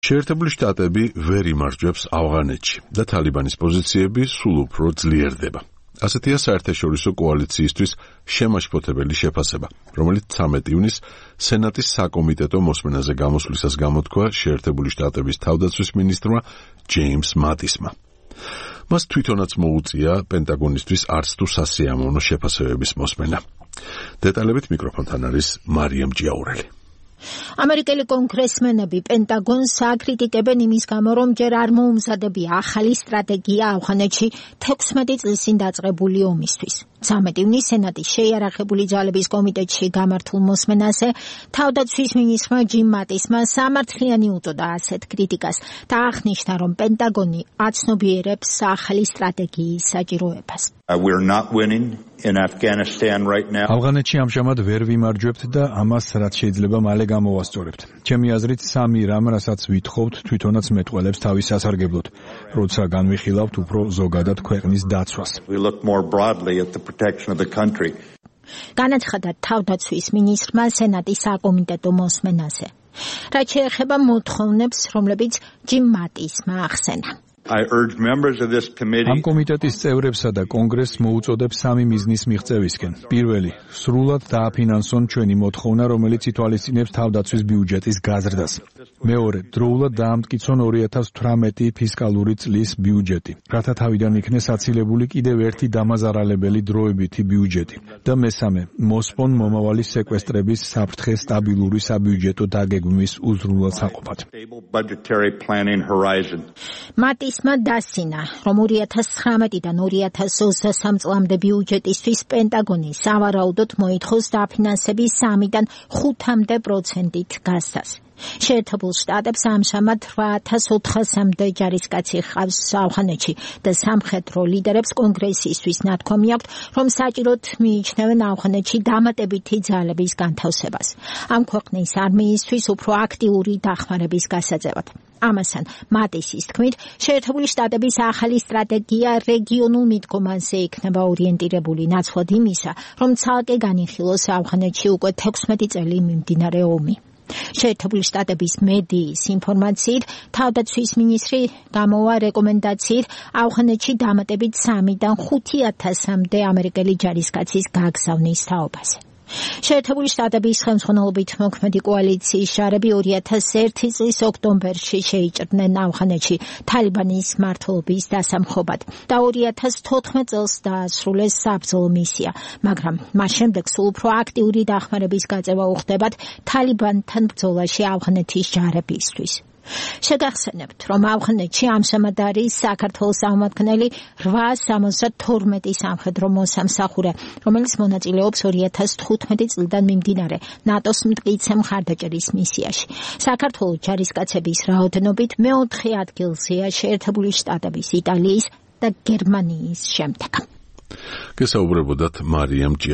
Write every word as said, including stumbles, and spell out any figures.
შეერთებული შტატები ვერ იმარჯვებს ავღანეთში და თალიბანის პოზიციები სულ უფრო ძლიერდება. ასეთია საერთაშორისო კოალიციისთვის შემაშფოთებელი შეფასება, რომელიც ცამეტ ივნისს სენატის საკომიტეტო მოსმენაზე გამოსვლისას გამოთქვა შეერთებული შტატების თავდაცვის მინისტრმა ჯეიმს მატისმა. მას თვითონაც მოუწია პენტაგონისთვის არც თუ სასიამოვნო შეფასებების მოსმენა. დეტალებით მიკროფონთან არის მარიამ ჭიაურელი. ამერიკელი კონგრესმენები პენტაგონს აკრიტიკებენ იმის გამო, რომ ჯერ არ მოუმზადებია ახალი სტრატეგია ავღანეთში თექვსმეტი წლის წინ დაწყებული ომისთვის. ცამეტ ივნისს სენატის შეიარაღებული ძალების კომიტეტში გამართულ მოსმენაზე თავდაცვის მინისტრმა ჯიმ მატისმა სამართლიანი უწოდა ასეთ კრიტიკას და აღნიშნა, რომ პენტაგონი აცნობიერებს ახალი სტრატეგიის საჭიროებას. We're not winning in Afghanistan right now. ავღანეთში ამჟამად ვერ ვიმარჯვებთ და ამას რაც შეიძლება მალე გამოვასწორებთ. ჩემი აზრით სამი რამ, რასაც ვითხოვთ, თვითონაც მეტყველებს თავის სასარგებლოდ, როცა განვიხილავთ უფრო ზოგადად ქვეყნის დაცვას. We look more broadly at the protection of the country. განაცხადა თავდაცვის მინისტრმა სენატის საკომიტეტო მოსმენაზე. რაც შეეხება მოთხოვნებს, რომლებიც ჯიმ მატისმა ახსენა. I urge members of this committee ამ კომიტეტის წევრებსა და კონგრესს მოუწოდებს სამი მიზნის მიღწევისკენ. პირველი, სრულად დააფინანსონ ჩვენი მოთხოვნა, რომელიც ითვალისწინებს თავდაცვის ბიუჯეტის გაზრდას. მეორე, დროულად დაამტკიცონ ორი ათას თვრამეტი ფისკალური წლის ბიუჯეტი, რათა თავიდან იქნეს აცილებული კიდევ ერთი დამაზარალებელი დროებითი ბიუჯეტი. და მესამე, მოსპონ მომავალი სეკვესტრების საფრთხე სტაბილური საბიუჯეტო დაგეგმვის უზრუნველად საყოფად. მატისმა დასცინა, რომ ორი ათას ცხრამეტიდან ორი ათას ოცდასამ წლამდე ბიუჯეტისთვის პენტაგონი სავარაუდოდ მოითხოვს დაფინანსების სამიდან ხუთამდე პროცენტით გასცას. შეერთებულ შტატებს ამჟამად რვა ათას ოთხასამდე ჯარისკაცი ჰყავს ავღანეთში და სამხედრო ლიდერებს კონგრესისთვის ნათქვამი აქვთ, რომ საჭიროდ მიიჩნევენ ავღანეთში დამატებითი ძალების განთავსებას. ამ ქვეყნის არმიისთვის უფრო აქტიური დახმარების გასაძევად. ამასთან, მატისის თქმით, შეერთებული შტატების ახალი სტრატეგია რეგიონულ მიდგომაზე იქნება ორიენტირებული ნაცვლად იმისა, რომ ცალკე განიხილოს ავღანეთში უკვე თექვსმეტი წელი მიმდინარე ომი. შეერთებული შტატების მედიის ინფორმაციით, თავდაცვის მინისტრი გამოვა რეკომენდაციით ავღანეთში დამატებით სამიდან ხუთი ათასამდე ამერიკელი ჯარისკაცის გაგზავნის თაობაზე. შეერთებული შტატების ხელმძღვანელობით მოქმედი კოალიციის ჯარები ორი ათას ერთი წლის ოქტომბერში შეიჭრნენ ავღანეთში თალიბანის მმართველობის დასამხობად და ორი ათას თოთხმეტ წელს დაასრულეს საბრძოლო მისია, მაგრამ მას შემდეგ სულ უფრო აქტიური დახმარების გაწევა უხდებათ თალიბანთან ბრძოლაში ავღანეთის ჯარებისთვის. შეგახსენებთ, რომ ავღანეთში ამჟამად არის საქართველოს აღმადგენელი რვაას სამოცდა თორმეტი სამხედრო მოსამსახურე, რომელიც მონაწილეობს ორი ათას თხუთმეტი წლიდან მიმდინარე ნატოს მტკიცე მხარდაჭერის მისიაში. საქართველოს ჯარისკაცების რაოდენობით მეოთხე ადგილზეა შეერთებული შტატების, იტალიის და გერმანიის შემდეგ. გესაუბრებოდათ მარიამ ჭიაურელი.